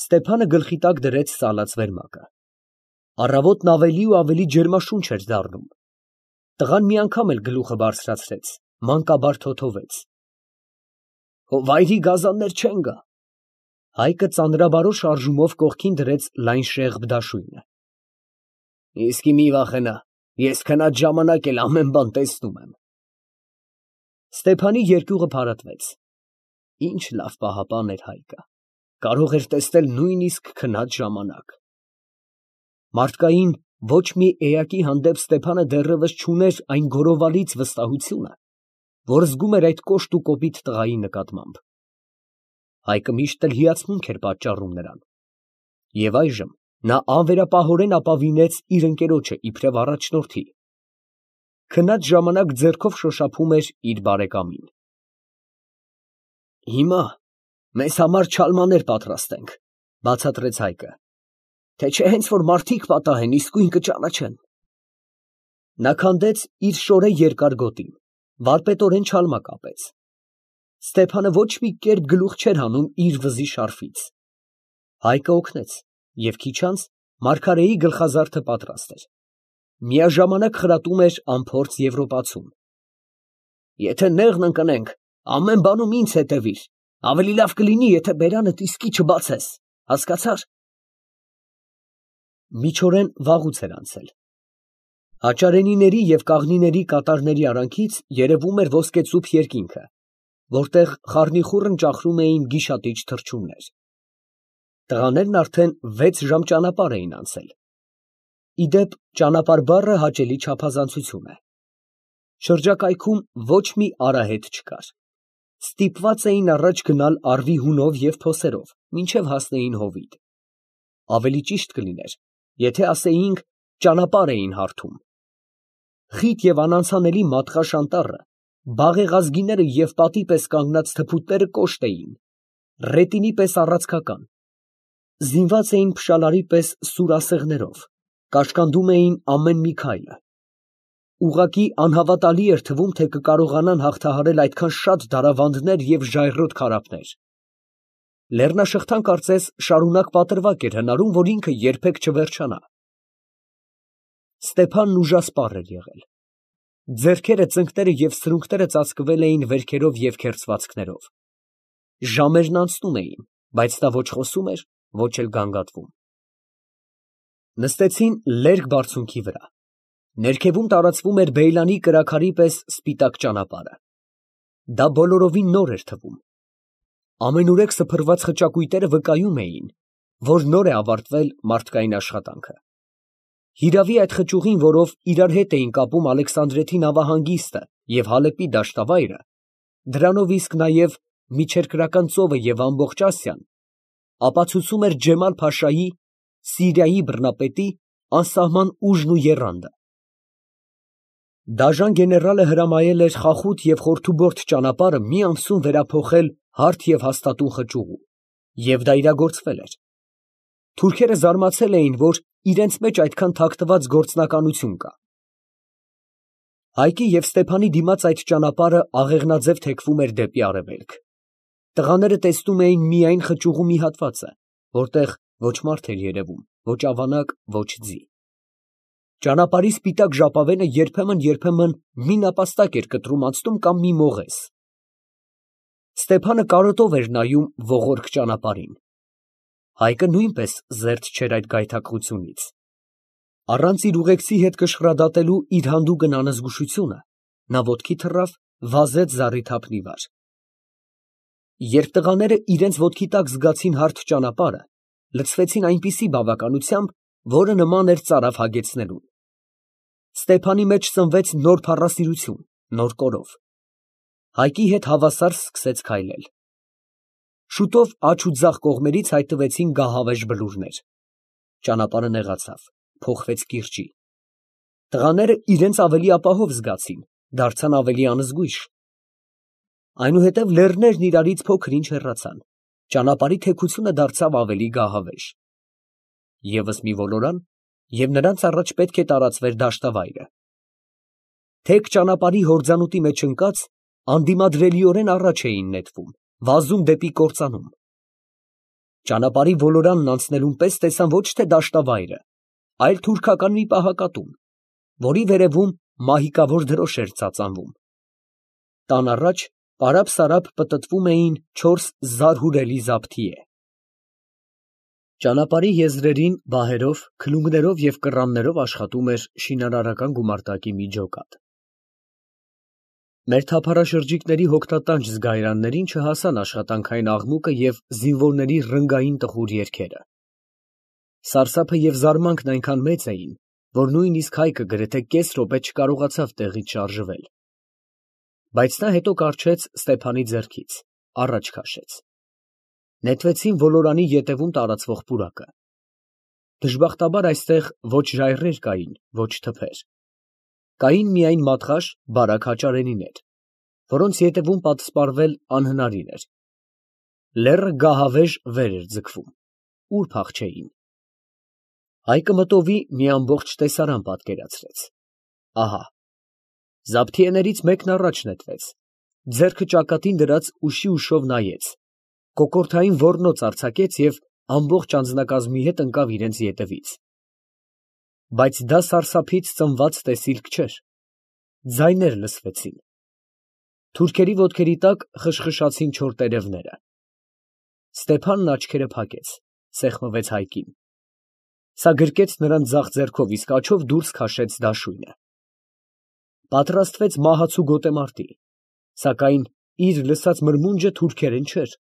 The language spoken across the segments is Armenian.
Ստեփանը գլխի տակ դրեց սալած վերմակը։ Առավոտն ավելի ու ավելի ջերմաշունչ էր դառնում։ Տղան մի անգամ էլ գլուխը բարձրացրեց, մանկաբար թոթվեց։ Վայրի գազաններ չեն գա։ Հայկը ծանրաբարո շարժումով կողքին դրեց լայն շեղբ դաշույնը։ Իսկի մի վախենա, ես քնած ժամանակ էլ ամեն բան տեսնում եմ։ Ստեփանի երկյուղը փարատվեց։ Ինչ լավ պահապան էր Հայկը, կարող էր տեսնել նույնիսկ քնած ժամանակ։ Մարդկային ոչ մի էակի հանդեպ Ստեփանը դեռևս չուներ այն գորովալից վստահությունը, որ զգում էր այդ կոշտ ու կոպիտ տղայի նկատմամբ։ Հայկը միշտ էլ հիացմունք էր պատճառում նրան։ Եվ այժմ նա անվերապահորեն ապավինեց իր ընկերոջը իբրև առաջնորդի։ Քնած ժամանակ ձեռքով շոշափում էր իր բարեկամին։ Հիմա մեզ համար չալմաներ պատրաստենք, բացատրեց Հայկը, թե չէ հենց որ մարդիկ պատահեն, իսկույն կճանաչեն։ Նա քանդեց իր շորե երկար գոտին, վարպետորեն չալմա կապեց։ Ստեփանը ոչ մի կերպ գլուխ չէր հանում իր վզի շարֆից։ Հայկը օգնեց, և քիչ անց մարգարեի գլխազարդը պատրաստ էր։ Միաժամանակ խրատում էր անփորձ եվրոպացուն։ Եթե նեղն ընկնենք, ամեն բանում ինձ հետևիր, ավելի լավ կլինի, եթե բերանդ իսկի չբացես, հասկացա՞ր։ Միջօրեն վաղուց էր անցել։ Հաճարենիների և կաղնիների կատարների արանքից երևում էր ոսկեծուփ երկինքը, որտեղ խառնիխուռն ճախրում էին գիշատիչ թռչուններ։ Տղաներն արդեն 6 ժամ ճանապարհ էին անցել։ Ի դեպ, ճանապարհ բառը հաճելի չափազանցություն է։ Շրջակայքում ոչ մի արահետ չկար։ Ստիպված էին առաջ գնալ առվի հունով և փոսերով, մինչև հասնեին հովիտ։ Ավելի ճիշտ կլիներ, եթե ասեինք ճանապարհ էին հարթում։ Խիտ և անանցանելի մատղաշ անտառը, բաղեղազգիները և պատի պես կանգնած թփուտները կոշտ էին, ռետինի պես առացքական, զինված էին փշալարի պես սուր ասեղներով, կաշկանդում էին ամեն մի քայլը։ Ուղղակի անհավատալի էր թվում, թե կկարողանան հաղթահարել այդքան շատ դարավանդներ և ժայռոտ քարափներ։ Լեռնաշղթան կարծես շարունակ պատրվակ էր հնարում, որ ինքը երբեք չվերջանա։ Ստեփանն ուժասպառ էր եղել։ Ձեռքերը, ծնկները և սրունքները ծածկվել էին վերքերով և քերծվածքներով։ Ժամերն անցնում էին, բայց նա ոչ խոսում էր, ոչ էլ գանգատվում։ Նստեցին լերկ բարձունքի վրա։ Ներքևում տարածվում էր բեյլանի կրաքարի պես սպիտակ ճանապարհը։ Դա բոլորովին նոր էր թվում։ Ամենուրեք սփռված խճակույտերը վկայում էին, որ նոր է ավարտվել մարդկային աշխատանքը։ Հիրավի այդ խճուղին, որով իրար հետ էին կապում Ալեքսանդրեթի նավահանգիստը և Հալեպի դաշտավայրը, դրանով իսկ նաև միջերկրական ծովը և ամբողջ Ասիան, ապացուցում էր Ջեմալ֊փաշայի, Սիրիայի բռնապետի անսահման ուժն ու եռանդը։ Դաժան գեներալը հրամայել էր խախուտ և խորդուբորդ ճանապարհը մի ամսում վերափոխել հարթ և հաստատուն խճուղու, և դա իրագործվել էր։ Թուրքերը զարմացել էին, որ իրենց մեջ այդքան թաքնված գործնականություն կա։ Հայկի և Ստեփանի դիմաց այդ ճանապարհը աղեղնաձև թեքվում էր դեպի արևելք։ Տղաները տեսնում էին միայն խճուղու մի հատվածը, որտեղ ոչ մարդ էր երևում, ոչ ավանակ, ոչ ձի։ Ճանապարհի սպիտակ ժապավենը երբեմն մի նապաստակ էր կտրում անցնում կամ մի մողես։ Ստեփանը կարոտով էր նայում ողորկ ճանապարհին։ Հայկը նույնպես զերծ չէր այդ գայթակղությունից։ Առանց իր ուղեկցի հետ կշռադատելու իր հանդուգն անզգուշությունը, նա ոտքի թռավ, վազեց զառիթափնի վար։ Երբ տղաները իրենց ոտքի տակ զգացին հարթ ճանապարհը, լցվեցին այնպիսի բավականությամբ, որը նման էր ծարավ հագեցնելուն։ Ստեփանի մեջ ծնվեց նոր փառասիրություն, նոր կորով։ Հայկի հետ հավասար սկսեց քայլել։ Շուտով աջ ու ձախ կողմերից հայտնվեցին գահավեժ բլուրներ։ Ճանապարհը նեղացավ, փոխվեց կիրճի։ Տղաները իրենց ավելի ապահով զգացին, դարձան ավելի անզգույշ։ Այնուհետև լեռներն իրարից փոքր-ինչ հեռացան, ճանապարհի թեքությունը դարձավ ավելի գահավեժ։ Եվս մի ոլորան, և նրանց առաջ պետք է տարածվեր դաշտավայրը։ Թեք ճանապարհի հորձանուտի մեջ ընկած, անդիմադրելիորեն առաջ էին նետվում, վազում դեպի կործանում։ Ճանապարհի ոլորանն անցնելուն պես տեսան ոչ թե դաշտավայրը, այլ թուրքական մի պահակատուն, որի վերևում մահիկավոր դրոշ էր ծածանվում։ Տան առաջ պարապ֊սարապ պտտվում էին 4 զարհուրելի զաբթիե։ Ճանապարհի եզրերին բահերով, քլունգներով և կռաններով աշխատում էր շինարարական գումարտակի մի ջոկատ։ Մեր թափառաշրջիկների հոգնատանջ զգայարաններին չհասան աշխատանքային աղմուկը և զինվորների ռնգային տխուր երգերը։ Սարսափը և զարմանքն այնքան մեծ էին, որ նույնիսկ Հայկը գրեթե կես րոպե չկարողացավ տեղից շարժվել։ Բայց նա հետո կառչեց Ստեփանի ձեռքից, առաջ քաշեց։ Նետվեցին ոլորանի ետևում տարածվող պուրակը։ Դժբախտաբար այստեղ ոչ ժայռեր կային, ոչ թփեր։ Կային միայն մատղաշ, բարակ հաճարենիներ, որոնց ետևում պատսպարվել անհնարին էր։ Լեռը գահավեժ վեր էր ձգվում, ուր փախչեին։ Հայկը մտովի մի ամբողջ տեսարան պատկերացրեց։ Ահա։ Զաբթիեներից մեկն առաջ նետվեց, ձեռքը ճակատին դրած ուշի ուշով նայեց, կոկորդային ոռնոց արձակեց և ամբողջ անձնակազմի հետ ընկավ իրենց ետևից։ Բայց դա սարսափից ծնված տեսիլք չէր։ Ձայներ լսվեցին։ Թուրքերի ոտքերի տակ խշխշացին չոր տերևները։ Ստեփանն աչքերը փակեց, սեղմվեց Հայկին։ Սա գրկեց նրան ձախ ձեռքով, իսկ աջով դուրս քաշեց դաշույնը։ Պատրաստվեց մահացու գոտեմարտի, սակայն իր լսած մրմունջը թուրքերեն չէր։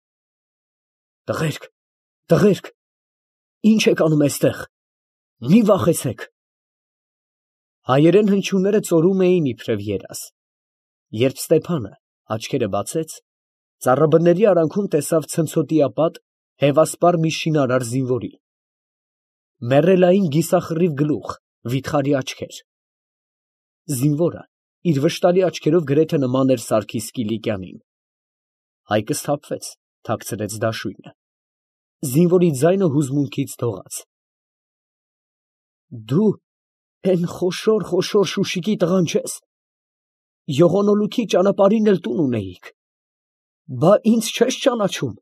Տղերք, տղերք, ի՞նչ եք անում էստեղ, մի վախեցեք։ Հայերեն հնչյունները ծորում էին իբրև երազ։ Երբ Ստեփանը աչքերը բացեց, ծառաբների արանքում տեսավ ցնցոտիապատ, հևասպար մի շինարար զինվորի։ Մեռելային գիսախռիվ գլուխ, վիթխարի աչքեր։ Զինվորը իր վշտալի աչքերով գրեթե նման էր Սարգիս Կիլիկյանին։ Հայկը սթափվեց, թաքցրեց դաշույնը։ Զինվորի ձայնը հուզմունքից դողաց։ Դու էն խոշոր Շուշիկի տղան չե՞ս։ Յողոնոլուքի ճանապարհին էլ տուն ունեիք, բա ինձ չե՞ս ճանաչում։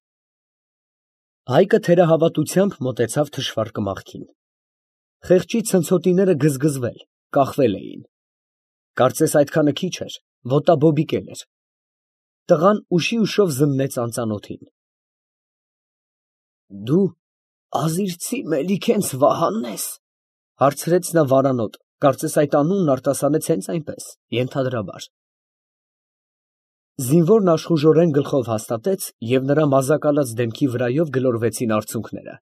Հայկը թերահավատությամբ մոտեցավ թշվառ կմախքին։ Խեղճի ցնցոտիները գզգզվել, կախվել էին։ Կարծես այդքանը քիչ էր, ոտաբոբիկել էր։ Տղան ուշի ուշով զննեց անծանոթին։ Դու Ազիրցի Մելիքենց Վահանն ես, հարցրեց նա վարանոտ, կարծես այդ անունն արտասանեց հենց այնպես, ենթադրաբար։ Զինվորն աշխուժորեն գլխով հաստատեց և նրա մազակալած դեմքի վրայով գլորվեցին արցունքները։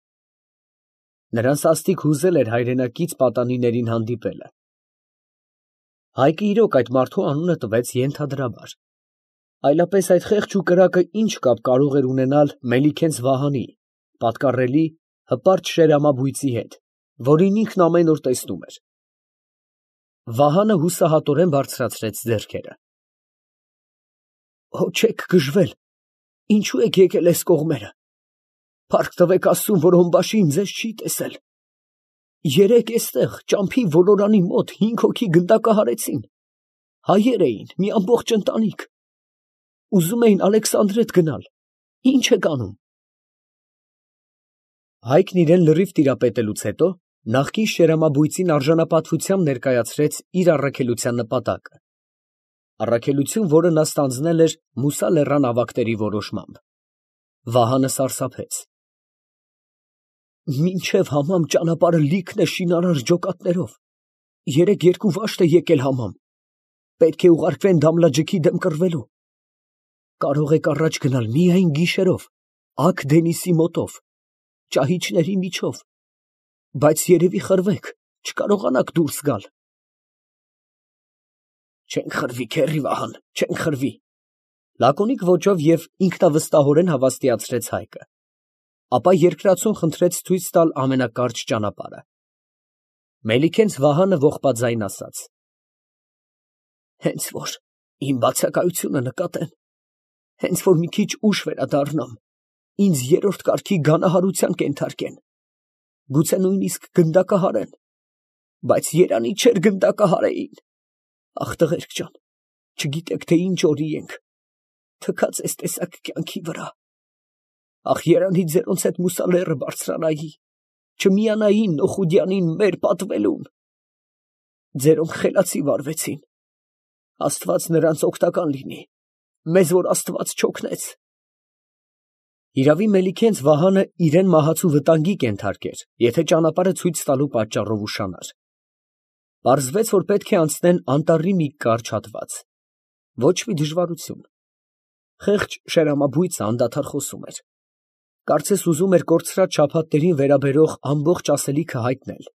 Նրան սաստիկ հուզել էր հայրենակից պատանիներին հանդիպելը։ Հայկը իրոք այդ մարդու անունը տվեց ենթադրաբար։ Այլապես այդ խեղճ ու կրակը ինչ կապ կարող էր ունենալ Մելիքենց Վահանի, պատկառելի, հպարտ շերամաբույծի հետ, որին ինքն ամեն օր տեսնում էր։ Վահանը հուսահատորեն բարձրացրեց ձեռքերը։ Հո չեք գժվել, ինչու եք եկել էս կողմերը։ Փառք տվեք Աստծուն, որ Օմբաշին ձեզ չի տեսել։ Երեկ էստեղ ճամփի ոլորանի մոտ 5 հոգի գնդակահարեցին։ Հայեր էին, մի ամբողջ ընտանիք։ Ուզում էին Ալեքսանդրետ գնալ։ Ինչ եք անում։ Հայկն իրան լրիվ տիրապետելուց հետո նախկին շերամաբույծին արժանապատվությամբ ներկայացրեց իր առաքելության նպատակը։ Առաքելություն, որը նա ստանձնել էր Մուսա լեռան ավագների որոշմամբ։ Վահանը սարսափեց։ Մինչև համամ ճանապարհը լիքն է շինարար ջոկատներով։ Երեկ 2 վաշտ է եկել համամ։ Պետք է ուղարկվեն Դամլաջիքի դեմ կռվելու։ Կարող եք առաջ գնալ միայն գիշերով, Ակ Դենիսի մոտով, ճահիճների միջով, բայց երևի խրվեք, չկարողանաք դուրս գալ։ Չենք խրվի, քեռի Վահան, չենք խրվի, լակոնիկ ոճով և ինքնավստահորեն հավաստիացրեց Հայկը։ Ապա երկրածուն խնդրեց ցույց տալ ամենակարճ ճանապարհը։ Մելիքենց Վահանը ողբաձայն ասաց. Հենց որ իմ բացակայությունը նկատեն, հենց որ մի քիչ ուշ վերադառնամ, ինձ 3-րդ կարգի գանահարության կենթարկեն, գուցե նույնիսկ գնդակահարեն, բայց երանի չէր գնդակահարեին։ Ախ, տղերք ջան, չգիտեք, թե ինչ օրի ենք, թքած էս տեսակ կյանքի վրա։ ախ երանի ձերոնց հետ մուսալերը բարձրանայի, չմիանային Նոխուդյանին մեր պատվելուն։ Ձերոնք խելացի վարվեցին, Աստված նրանց օգտական լինի, մեզ որ Աստված չօգնեց։ Իրավի Մելիքենց Վահանը իրեն մահացու վտանգի կենթարկեր, եթե ճանապարհը ցույց տալու պատճառով ուշանար։ Պարզվեց, որ պետք է անցնեն անտառի մի կարճ հատված։ Ոչ մի դժվարություն։ Խեղճ շերամաբույծը անդադար խոսում էր։ Կարծես ուզում էր կորցրած շաբաթներին վերաբերող ամբողջ ասելիքը հայտնել,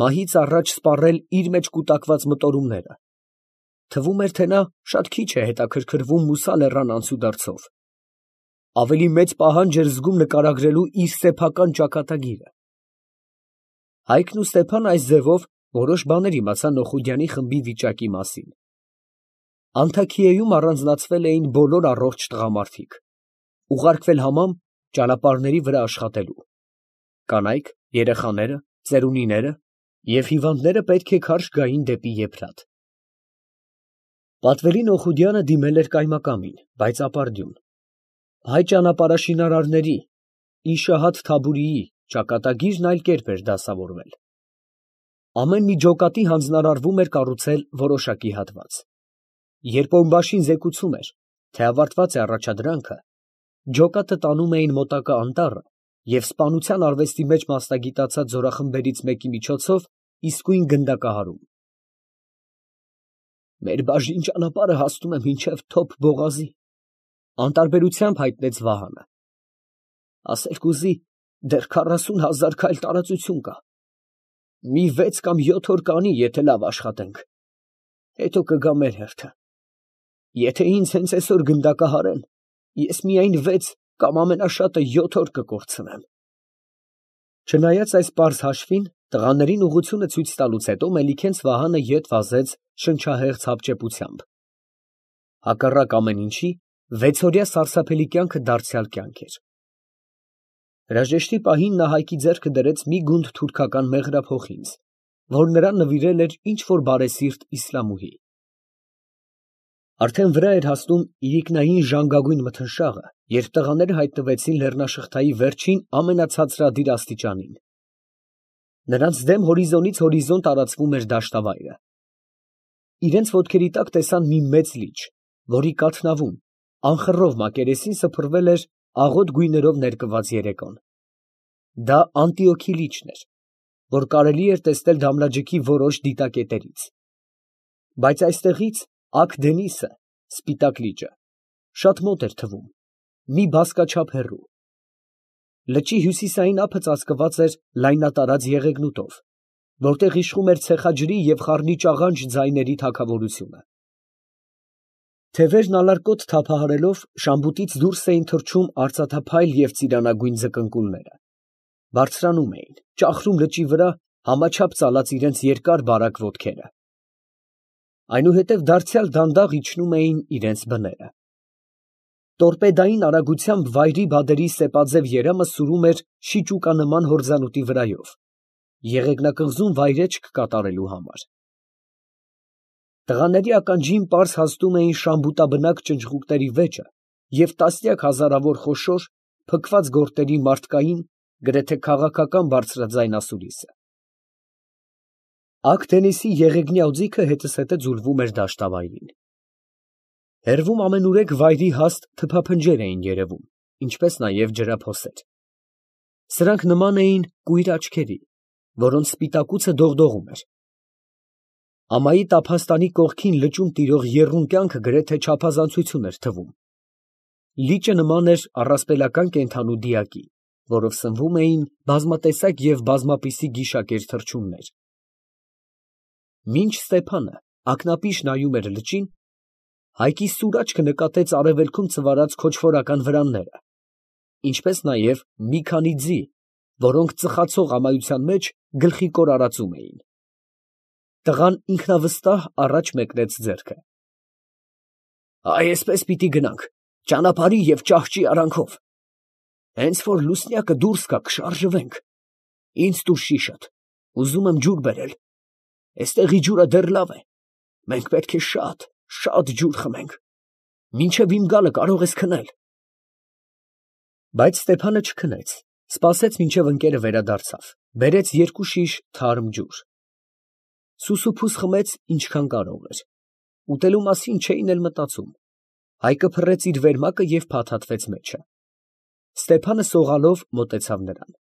մահից առաջ սպառել իր մեջ կուտակված մտորումները։ Թվում էր, թե նա շատ քիչ է հետաքրքրվում Մուսա լեռան անցուդարձով։ Ավելի մեծ պահանջ էր զգում նկարագրելու իր սեփական ճակատագիրը։ Հայկն ու Ստեփան այս ձևով որոշ բաներ իմացան Նոխուդյանի խմբի վիճակի մասին։ Անթաքիեում առանձնացվել էին բոլոր առողջ տղամարդիկ, ուղարկվել համամ ճանապարհների վրա աշխատելու։ Կանայք, երեխաները, ծերունիները և հիվանդները պետք է քարշ գային դեպի Եփրատ։ Պատվելի Նոխուդյանը դիմել էր կայմակամին, բայց ապարդյուն։ Հայ ճանապարհաշինարարների Իշահաթ Թաբուրիի ճակատագիրն այլ կերպ էր դասավորվել։ Ամեն մի ջոկատի հանձնարարվում էր կառուցել որոշակի հատված։ Երբ օմբաշին զեկուցում էր, թե ավարտված է առաջադրանքը, ջոկատը տանում էին մոտակա անտառը և սպանության արվեստի մեջ մասնագիտացած զորախմբերից մեկի միջոցով իսկույն գնդակահարում։ Մեր բաժին ճանապարհը հասնում է մինչև Թոփ Բողազի, անտարբերությամբ հայտնեց Վահանը։ Ասել կուզի, դեռ 40,000 քայլ տարածություն կա։ Մի 6 կամ 7 օր կանի, եթե լավ աշխատենք, հետո կգա մեր հերթը։ Եթե ինձ հենց այսօր գնդակահարեն, ես միայն 6 կամ ամենաշատը 7 օր կկորցնեմ։ Չնայած այս պարզ հաշվին, տղաներին ուղղությունը ցույց տալուց հետո Մելիքենց Վահանը ետ վազեց շնչահեղձ հապճեպությամբ։ Հակառակ ամեն ինչի, 6-օրյա սարսափելի կյանքը դարձյալ կյանք էր։ Հրաժեշտի պահին նա Հայկի ձեռքը դրեց մի գունդ թուրքական մեղրափոխինձ, որ նրան նվիրել էր ինչ֊որ բարեսիրտ իսլամուհի։ Արդեն վրա էր հասնում իրիկնային ժանգագույն մթնշաղը, երբ տղաները հայտնվեցին լեռնաշղթայի վերջին ամենացածրադիր աստիճանին։ Նրանց դեմ հորիզոնից հորիզոն տարածվում էր դաշտավայրը։ Իրենց ոտքերի տակ տեսան մի մեծ լիճ, որի կաթնավում, անխռով մակերեսին սփռվել էր աղոտ գույներով ներկված երեկոն։ Դա Անտիոքի լիճն էր, որ կարելի էր տեսնել Դամլաջիքի որոշ դիտակետերից։ Բայց այստեղից Ակ Դենիսը, Սպիտակ լիճը, շատ մոտ էր թվում, մի բազկաչափ հեռու։ Լճի հյուսիսային ափը ծածկված էր լայնատարած եղեգնուտով, որտեղ իշխում էր ցեխաջրի և խառնի ճաղանճ ձայների թագավորությունը։ Թևերն ալարկոտ թափահարելով շամբուտից դուրս էին թռչում արծաթափայլ և ծիրանագույն ձկնկուլները, բարձրանում էին, ճախրում լճի վրա, համաչափ ծալած իրենց երկար բարակ ոտքերը։ Այնուհետև դարձյալ դանդաղ իջնում էին իրենց բները։ Տորպեդային արագությամբ վայրի բադերի սեպաձև երամը սուրում էր շիճուկանման հորձանուտի վրայով, եղեգնակղզում վայրէջք կատարելու համար։ Տղաների ականջին պարզ հասնում էին շամբուտաբնակ ճնճղուկների վեճը և տասնյակ հազարավոր խոշոր, փքված գորտերի մարդկային, գրեթե քաղաքական բարձրաձայն ասուլիսը։ Ակ Դենիսի եղեգնյա օձիքը հետզհետե ձուլվում էր դաշտավայրին։ Հեռվում ամենուրեք վայրի հաստ թփափնջեր էին երևում, ինչպես նաև ջրափոսեր։ Սրանք նման էին կույր աչքերի, որոնց սպիտակուցը դողդողում էր։ Ամայի տափաստանի կողքին լճում տիրող եռուն կյանքը գրեթե չափազանցություն էր թվում։ Լիճը նման էր առասպելական կենդանու դիակի, որով սնվում էին բազմատեսակ և բազմապիսի գիշակեր թռչուններ։ Մինչ Ստեփանը ակնապիշ նայում էր լճին, Հայկի սուր աչքը նկատեց արևելքում ծվարած քոչվորական վրանները, ինչպես նաև մի քանի ձի, որոնք ծխացող ամայության մեջ գլխիկոր արածում էին։ Տղան ինքնավստահ առաջ մեկնեց ձեռքը։ Այսպես պիտի գնանք, ճանապարհի և ճահճի արանքով։ Հենց որ լուսնյակը դուրս գա, կշարժվենք։ Ինձ տուր շիշդ, ուզում եմ ջուր բերել։ Էստեղի ջուրը դեռ լավ է, մենք պետք է շատ, շատ ջուր խմենք, մինչև իմ գալը կարող ես քնել։ Բայց Ստեփանը չքնեց, սպասեց մինչև ընկերը վերադարձավ, բերեց 2 շիշ թարմ ջուր։ Սուսուփուս խմեց ինչքան կարող էր, ուտելու մասին չէին էլ մտածում։ Հայկը փռեց իր վերմակը և փաթաթվեց մեջը։ Ստեփանը սողալով մոտեցավ նրան։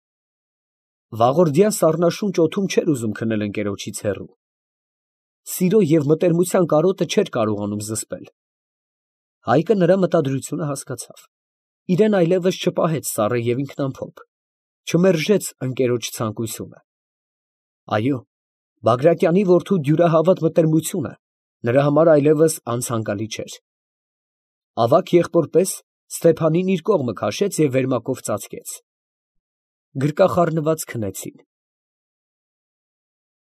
Վաղորդյա սառնաշունչ օդում չէր ուզում քնել ընկերոջից հեռու։ Սիրո և մտերմության կարոտը չէր կարողանում զսպել։ Հայկը նրա մտադրությունը հասկացավ, իրան այլևս չպահեց սառը և ինքնամփոփ, չմերժեց ընկերոջ ցանկությունը։ Այո, Բագրատյանի որդու դյուրահավատ մտերմությունը նրա համար այլևս անցանկալի չէր։ Ավագ եղբոր պես Ստեփանին իր կողմը քաշեց և վերմակով ծածկեց։ Գրկախառնված քնեցին։